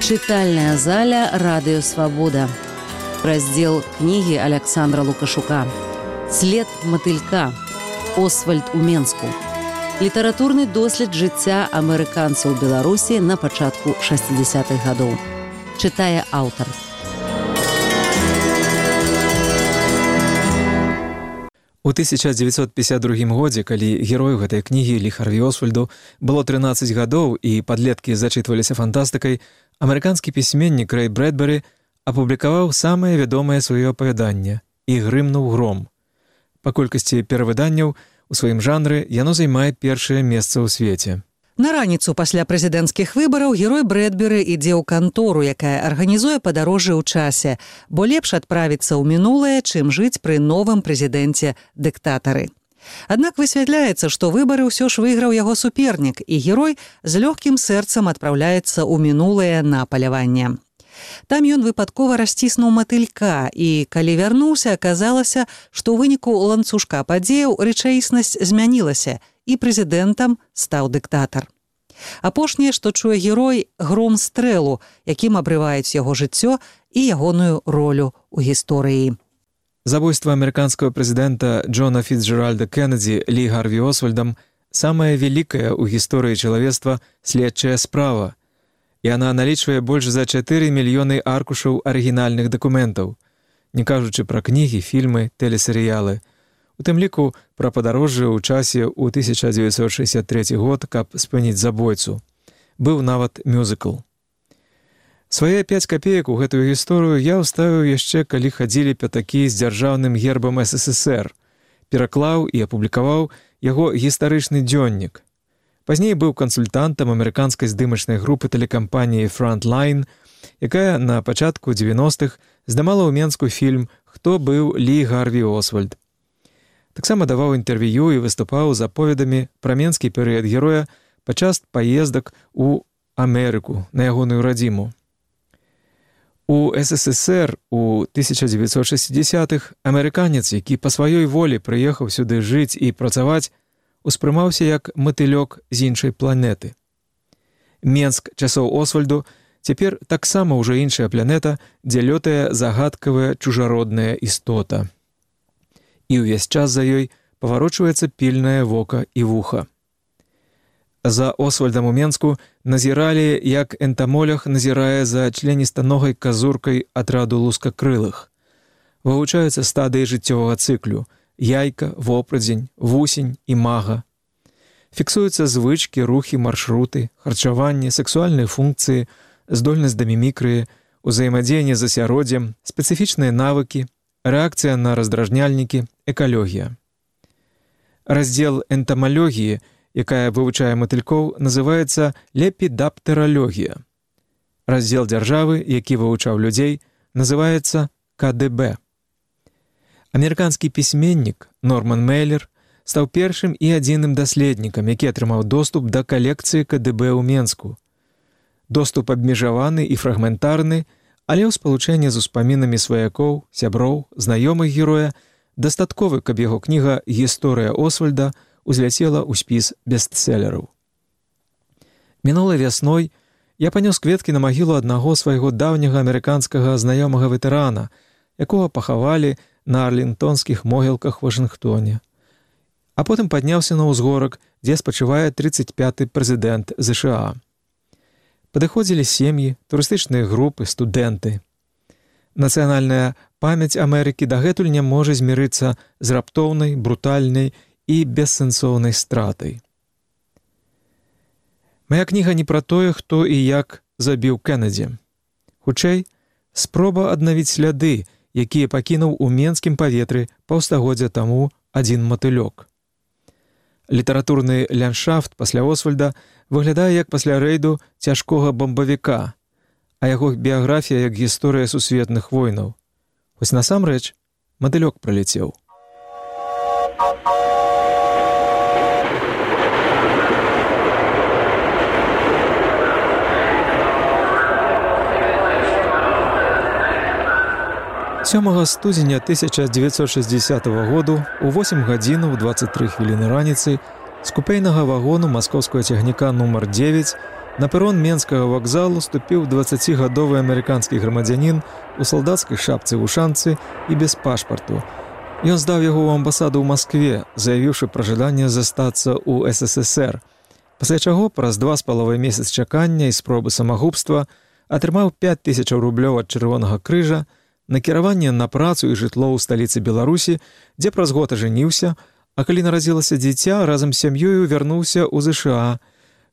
Чытальная заля «Радыё Свабода». Раздзел кнігі Аляксандра Лукашука. «След матылька. Освальд у Менску». Літаратурны дослед жыцця амерыканцаў Беларусі на пачатку 60-х гадоў. Чытае аўтар. У 1952 годзе, калі герою гэтай кнігі Лі Харві Освальду было 13 гадоў і падлеткі зачытваліся фантастыкай, амерыканскі пісьменнік Рэй Брэдбері апублікаваў самае вядомае сваё апавяданне «І грымнуў гром». Па колькасці перавыданняў у сваім жанры яно займае першае месца ў свеце. На раніцу пасля прэзідэнцкіх выбараў герой Брэдбері ідзе ў кантору, якая арганізуе падарожжы ў часе, бо лепш адправіцца ў мінулае, чым жыць пры новым прэзідэнце-дыктатары. Аднак высвятляецца, што выбары ўсё ж выйграў яго супернік, і герой з лёгкім сэрцам адпраўляецца ў мінулае на паляванне. Там ён выпадкова расціснуў матылька, і калі вярнуўся, аказалася, што ў выніку ланцужка падзеяў рэчаіснасць змянілася, і прэзідэнтам стаў дыктатар. Апошняе, што чуе герой, гром стрэлу, якім абрываюць яго жыццё і ягоную ролю ў гісторыі. Забойства амерыканскага прэзідэнта Джона Фіцджеральда Кеннеді Лі Харві Освальдам самая вялікая ў гісторыі чалавецтва следчая справа. І яна налічвае больш за 4 мільёны аркушаў арыгінальных дакументаў, не кажучы пра кнігі, фільмы, тэлесерыялы. У тым ліку пра падарожжы ў часе ў 1963 год, каб спыніць забойцу. Быў нават мюзыкл. Свае 5 капеек у гэтую гісторыю я ўставіў яшчэ, калі хадзілі пятакі з дзяржаўным гербам СССР, пераклаў і апублікаваў яго гістарычны дзённік. Пазней быў кансультантам амерыканскай здымачнай групы тэлекампаніі Frontline, якая на пачатку 90-х здымала ў Менску фільм «Хто быў Лі Харві Освальд». Таксама даваў інтэрв'ю і выступаў з аповедамі пра менскі перыяд героя падчас паездак у Амерыку на ягоную радзіму. У СССР у 1960-х амерыканец, які па сваёй волі прыехаў сюды жыць і працаваць, успрымаўся як матылёк з іншай планеты. Менск часоў Освальду цяпер таксама ўжо іншая планета, дзе лётае загадкавая чужародная істота. І ўвесь час за ёй паварочваецца пільнае вока і вуха. За Освальдам у Менску назіралі, як энтамолог назірае за членістаногай казуркай атраду лускакрылых. Вывучаюцца стадыі жыццёвага цыклю – яйка, вопрадзень, вусень і мага. Фіксуюцца звычкі, рухі, маршруты, харчаванне, сексуальныя функцыі, здольнасць да мімікрыі, узаемадзеянне з асяроддзем, спецыфічныя навыкі, рэакцыя на раздражняльнікі, экалогія. Раздзел энтамалогіі, якая вывучае матылькоў, называецца лепідаптералогія. Раздзел дзяржавы, які вывучаў людзей, называецца КДБ. Амерыканскі пісьменнік Норман Мейлер стаў першым і адзіным даследнікам, які атрымаў доступ да калекцыі КДБ ў Менску. Доступ абмежаваны і фрагментарны, але ў спалучэнні з успамінамі сваякоў, сяброў, знаёмых героя дастатковы, каб яго кніга «Гісторыя Освальда» узляцела ў спіс бестселераў. Мінулай вясной я панёс кветкі на магілу аднаго свайго даўняга амерыканскага знаёмага ветэрана, якога пахавалі на арлінгтонскіх могілках Вашынгтоне. А потым падняўся на ўзгорак, дзе спачывае 35-й прэзідэнт ЗША. Падыходзілі сем'і, турыстычныя групы, студэнты. Нацыянальная памяць Амерыкі дагэтуль не можа змірыцца з раптоўнай, брутальнай і бессэнсоўнай стратай. Мая кніга не пра тое, хто і як забіў Кеннеді. Хутчэй, спроба аднавіць сляды, якія пакінуў у менскім паветры паўстагоддзя таму адзін матылёк. Літаратурны ландшафт пасля Освальда выглядае як пасля рэйду цяжкога бомбавіка, а яго біяграфія як гісторыя сусветных войнаў. Хоць насамрэч матылёк пралецеў. Сёмага студзеня 1960 году у 8 гадзінаў 23 хвіліны раніцы з купейнага вагону маскоўскага цягніка нумар 9 На перон менскага вакзалу ступіў 20гадовы амерыканскі грамадзянін у салдацкай шапцы-вушанцы і без пашпарту. Ён здаў яго ў амбасаду ў Маскве, заявіўшы пра жаданне застацца ў СССР, пасля чаго праз 2,5 месяц чакання і спробы самагубства атрымаў 5000 рублёў ад Чырвонага крыжа, накіраванне на працу і жытло ў сталіцы Беларусі, дзе праз год ажаніўся, а калі нарадзілася дзіця, разам з сям'ёю вярнуўся ў ЗША,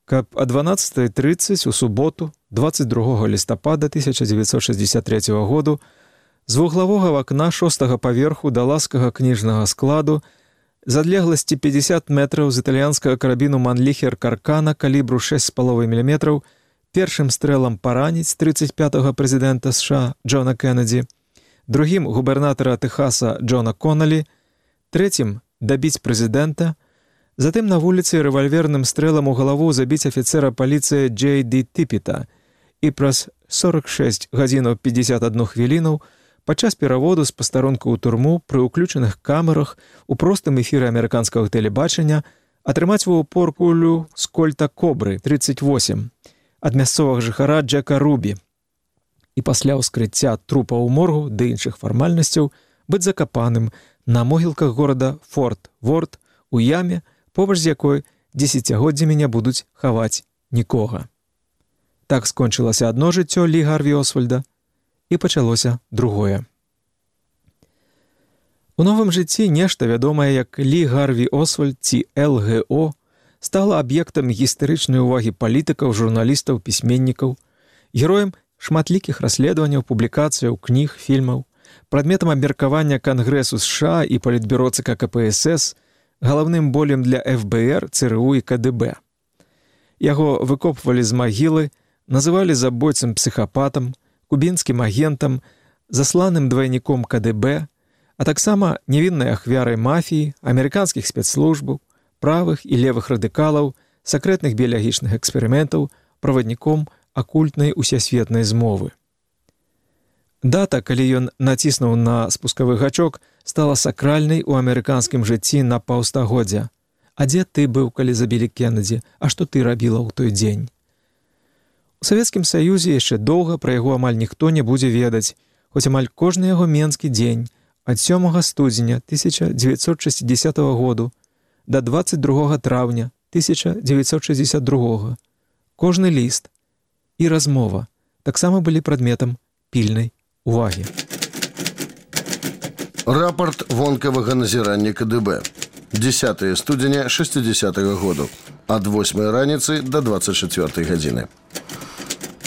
каб о 12:30 у суботу, 22 лістапада 1963 году, з вуглавога вакна 6-го паверху да ласкага кніжнага складу з адлегласці 50 метраў з італьянскага карабіну «Манліхер» Каркана калібру 6,5 мм першым стрэлам параніць 35-го прэзідэнта США Джона Кеннеді, другім губернатара Тэхаса Джона Коннелі, трэцім дабіць прэзідэнта, затым на вуліцы рэвальверным стрэлам у галаву забіць афіцэра паліцыі Джей.Ді. Тіпіта і праз 46 гадзінаў 51 хвілінаў падчас пераводу з пастарунку ў турму пры ўключаных камерах у простым эфіры амерыканскага тэлебачання атрымаць у упор кулю з кольта «Кобры» 38 ад мясцовага жыхара Джека Рубі і пасля ўскрыцця трупа ў моргу ды іншых фармальнасцяў быць закапаным на могілках горада Форт Ворт у яме, побач з якой дзесяцігоддзямі не будуць хаваць нікога. Так скончылася адно жыццё Лі Гарві Освальда і пачалося другое. У новым жыцці нешта вядомае як Лі Гарві Освальд ці ЛГО стала аб'ектам гістарычнай увагі палітыкаў, журналістаў, пісьменнікаў, героем шматлікіх расследаванняў, публікацыяў, кніг, фільмаў, прадметам абмеркавання Кангрэсу США і палітбюро ЦК КПСС, галаўным болем для ФБР, ЦРУ і КДБ. Яго выкопвалі з магілы, называлі забойцам-псіхапатам, кубінскім агентам, засланым двайніком КДБ, а таксама невіннай ахвярай мафіі, амерыканскіх спецслужбаў, правых і левых радыкалаў, сакрэтных біялагічных эксперыментаў, правадніком акультнай усесветнай змовы. Дата, калі ён націснуў на спускавы гачок, стала сакральнай у амерыканскім жыцці на паўстагоддзя. А дзе ты быў, калі забілі Кеннеді? А што ты рабіла ў той дзень? У Савецкім Саюзе яшчэ доўга пра яго амаль ніхто не будзе ведаць, хоць амаль кожны яго менскі дзень ад 7 студзеня 1960 году да 22 траўня 1962. Кожны ліст і размова таксама былі прадметам пільнай увагі. Рапорт вонкавага назірання КДБ. 10 студзеня 60-го году. Ад 8 раніцы до 24 гадзіны.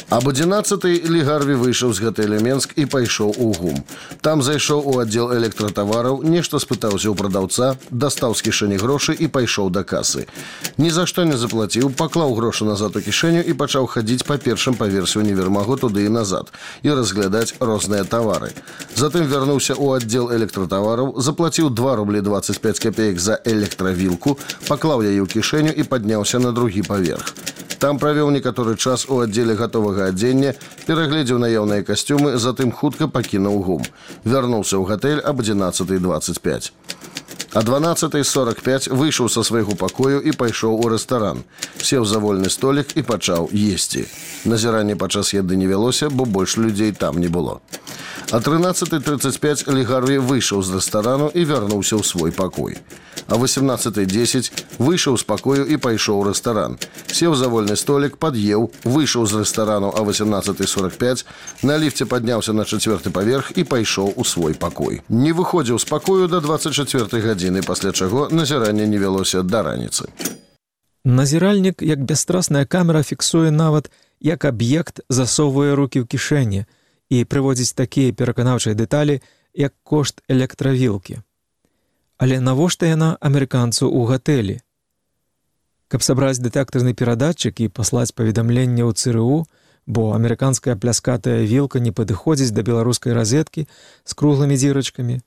Об 11-й Лі Гарві выйшаў з гатэля Менск і пайшоў у ГУМ. Там зайшоў у аддзел электратавараў, нешта спытаўся ў прадаўца, дастаў з кішэні грошы і пайшоў да касы. Ні за што не заплаціў, паклаў грошы назад у кішэню і пачаў хадзіць па першым паверсе універмагу туды і назад і разглядаць розныя тавары. Затым вярнуўся ў аддзел электратавараў, заплаціў 2 рублі 25 копеек за электравілку, паклаў яе ў кішэню і падняўся на другі паверх. Там правёў некаторы час у аддзеле гатовага адзення, перагледзеў наяўныя касцюмы, затым хутка пакінуў ГУМ. Вярнуўся ў гатэль об 11:25. А 12:45 выйшаў са свайго пакою і пайшоў у рэстаран. Сеў за вольны столік і пачаў есці. Назіранне падчас еды не вялося, бо больш людзей там не было. А 13:35 Лі Гарві выйшаў з рэстарану і вярнуўся ў свой пакой. А 18:10 выйшаў з пакою і пайшоў у рэстаран. Сеў за вольны столік, пад'еў, выйшаў з рэстарану а 18:45, на ліфце падняўся на 4-й паверх і пайшоў у свой пакой. Не выходзіў з пакою да 24 гадзіны, пасля чаго назіранне не вялося да раніцы. Назіральнік, як бясстрасная камера, фіксуе нават, як аб'ект засоўвае рукі ў кішэні і прыводзіць такія пераканаўчыя дэталі, як кошт электравілкі. Але навошта яна амерыканцу ў гатэлі? Каб сабраць дэтэктарны перадатчык і паслаць паведамленне ў ЦРУ, бо амерыканская пляскатая вілка не падыходзіць да беларускай разеткі з круглымі дзірачкамі.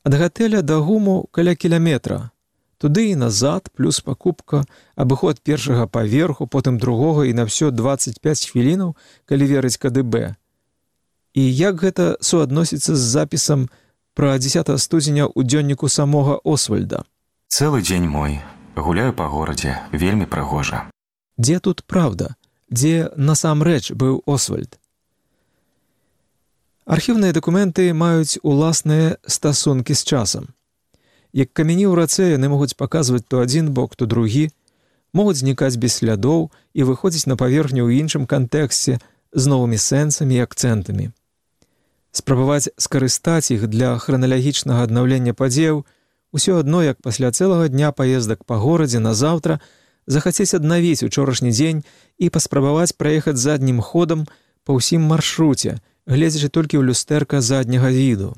Ад гатэля да ГУМу каля кіляметра. Туды і назад, плюс пакупка, абыход першага паверху, потым другога і на ўсё 25 хвілінаў, калі верыць КДБ. І як гэта суадносіцца з запісам пра 10 студзеня ў дзённіку самога Освальда? Цэлы дзень мой. Гуляю па горадзе, вельмі прыгожа. Дзе тут праўда? Дзе насамрэч быў Освальд? Архіўныя дакументы маюць уласныя стасункі з часам. Як камяні ў рацэ, яны могуць паказваць то адзін бок, то другі, могуць знікаць без слядоў і выходзіць на паверхню ў іншым кантэксце з новымі сэнсамі і акцэнтамі. Спрабаваць скарыстаць іх для храналагічнага аднаўлення падзеяў усё адно, як пасля цэлага дня паездак па горадзе на заўтра захацець аднавіць учорашні дзень і паспрабаваць праехаць заднім ходам па ўсім маршруце, гледзячы толькі ў люстэрка задняга віду.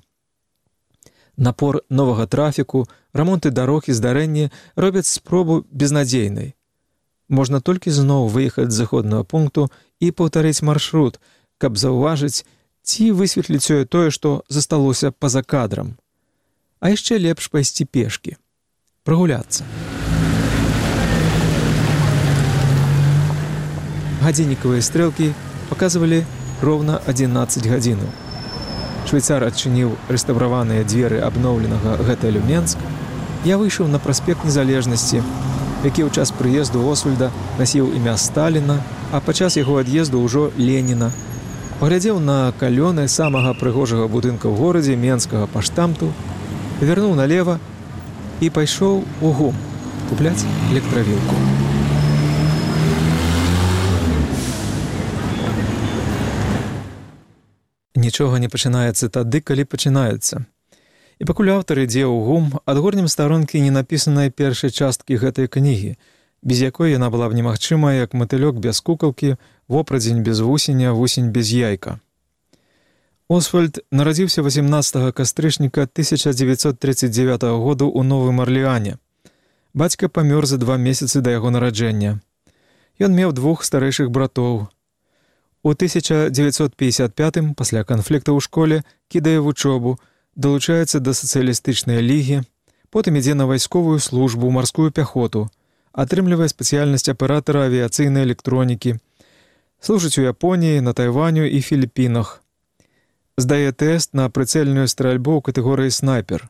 Напор новага трафіку, рамонты дарог і здарэнні робяць спробу безнадзейнай. Можна толькі зноў выехаць з заходнага пункту і паўтарыць маршрут, каб заўважыць ці высветліць тое, што засталося па-за кадрам. А яшчэ лепш пайсці пешкі, прагуляцца. Гадзіннікавыя стрэлкі паказвалі роўна 11 гадзінаў. Швейцар адчыніў рэстаўраваныя дзверы абноўленага гатэлю «Менск». Я выйшаў на праспект Незалежнасці, які ў час прыезду Освальда насіў імя Сталіна, а падчас яго ад'езду ўжо Леніна. Паглядзеў на калёны самага прыгожага будынка ў горадзе менскага паштамту, павярнуў налева і пайшоў у ГУМ купляць электравілку. Нічога не пачынаецца тады, калі пачынаецца. І пакуль аўтар ідзе ў ГУМ, адгорнем старонкі не напісанай першай часткі гэтай кнігі, без якой яна была б немагчымая, як матылёк без кукалкі, вопрадзень без вусеня, вусень без яйка. Освальд нарадзіўся 18 кастрычніка 1939 году ў Новым Арлеане. Бацька памёр за 2 месяцы да яго нараджэння. Ён меў 2 старэйшых братоў. У 1955-м, пасля канфлікта ў школе, кідае вучобу, далучаецца да сацыялістычнай лігі, потым ідзе на вайсковую службу ў марскую пяхоту, атрымлівае спецыяльнасць аператара авіяцыйнай электронікі, служыць у Японіі, на Тайваню і Філіпінах. Здае тэст на прыцэльную стральбу ў катэгорыі снайпер.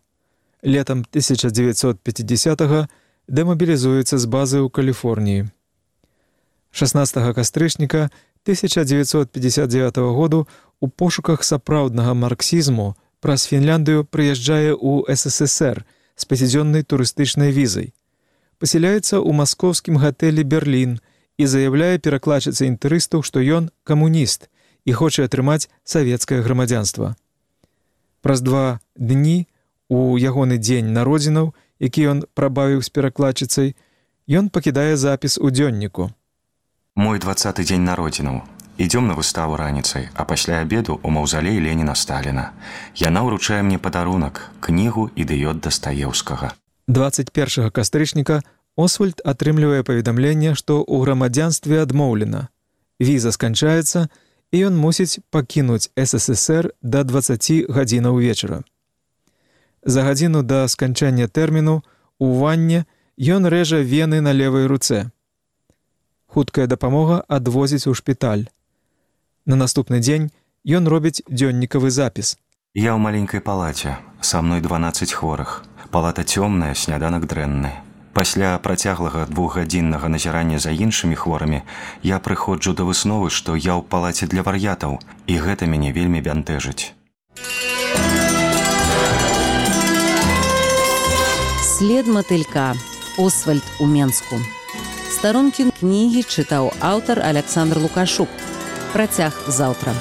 Летам 1950-го дэмабілізуецца з базы ў Каліфорніі. 16 кастрычніка 1959 году у пошуках сапраўднага марксізму праз Фінляндыю прыязджае ў СССР з 5-дзённай турыстычнай візай. Пасяляецца ў маскоўскім гатэлі «Берлін» і заяўляе перакладчыцы інтэрыстаў, што ён камуніст і хоча атрымаць савецкае грамадзянства. Праз 2 дні, у ягоны дзень народзінаў, які ён прабавіў з перакладчыцай, ён пакідае запіс у дзённіку. Мой 20-й дзень народзінаў. Ідём на выставу раніцай, а пасля абеду ў маўзалей Леніна-Сталіна. Яна ўручае мне падарунак, кнігу «Ідыёт Дастаеўскага». 21 кастрычніка Освальд атрымлівае паведамленне, што ў грамадзянстве адмоўлена. Віза сканчаецца, і ён мусіць пакінуць СССР да 20 гадзінаў вечара. За гадзіну да сканчання тэрміну у ванне ён рэжа вены на левай руцэ. Хуткая дапамога адвозіць у шпіталь. На наступны дзень ён робіць дзённікавы запіс. Я ў маленькай палаце, са мной 12 хворых. Палата цёмная, сняданак дрэнны. Пасля працяглага 2-гадзіннага назірання за іншымі хворымі я прыходжу да высновы, што я ў палаце для вар'ятаў, і гэта мяне вельмі бянтэжыць. След матылька. Освальд у Менску. Старонкі кнігі чытаў аўтар Александр Лукашук. Працяг заўтра.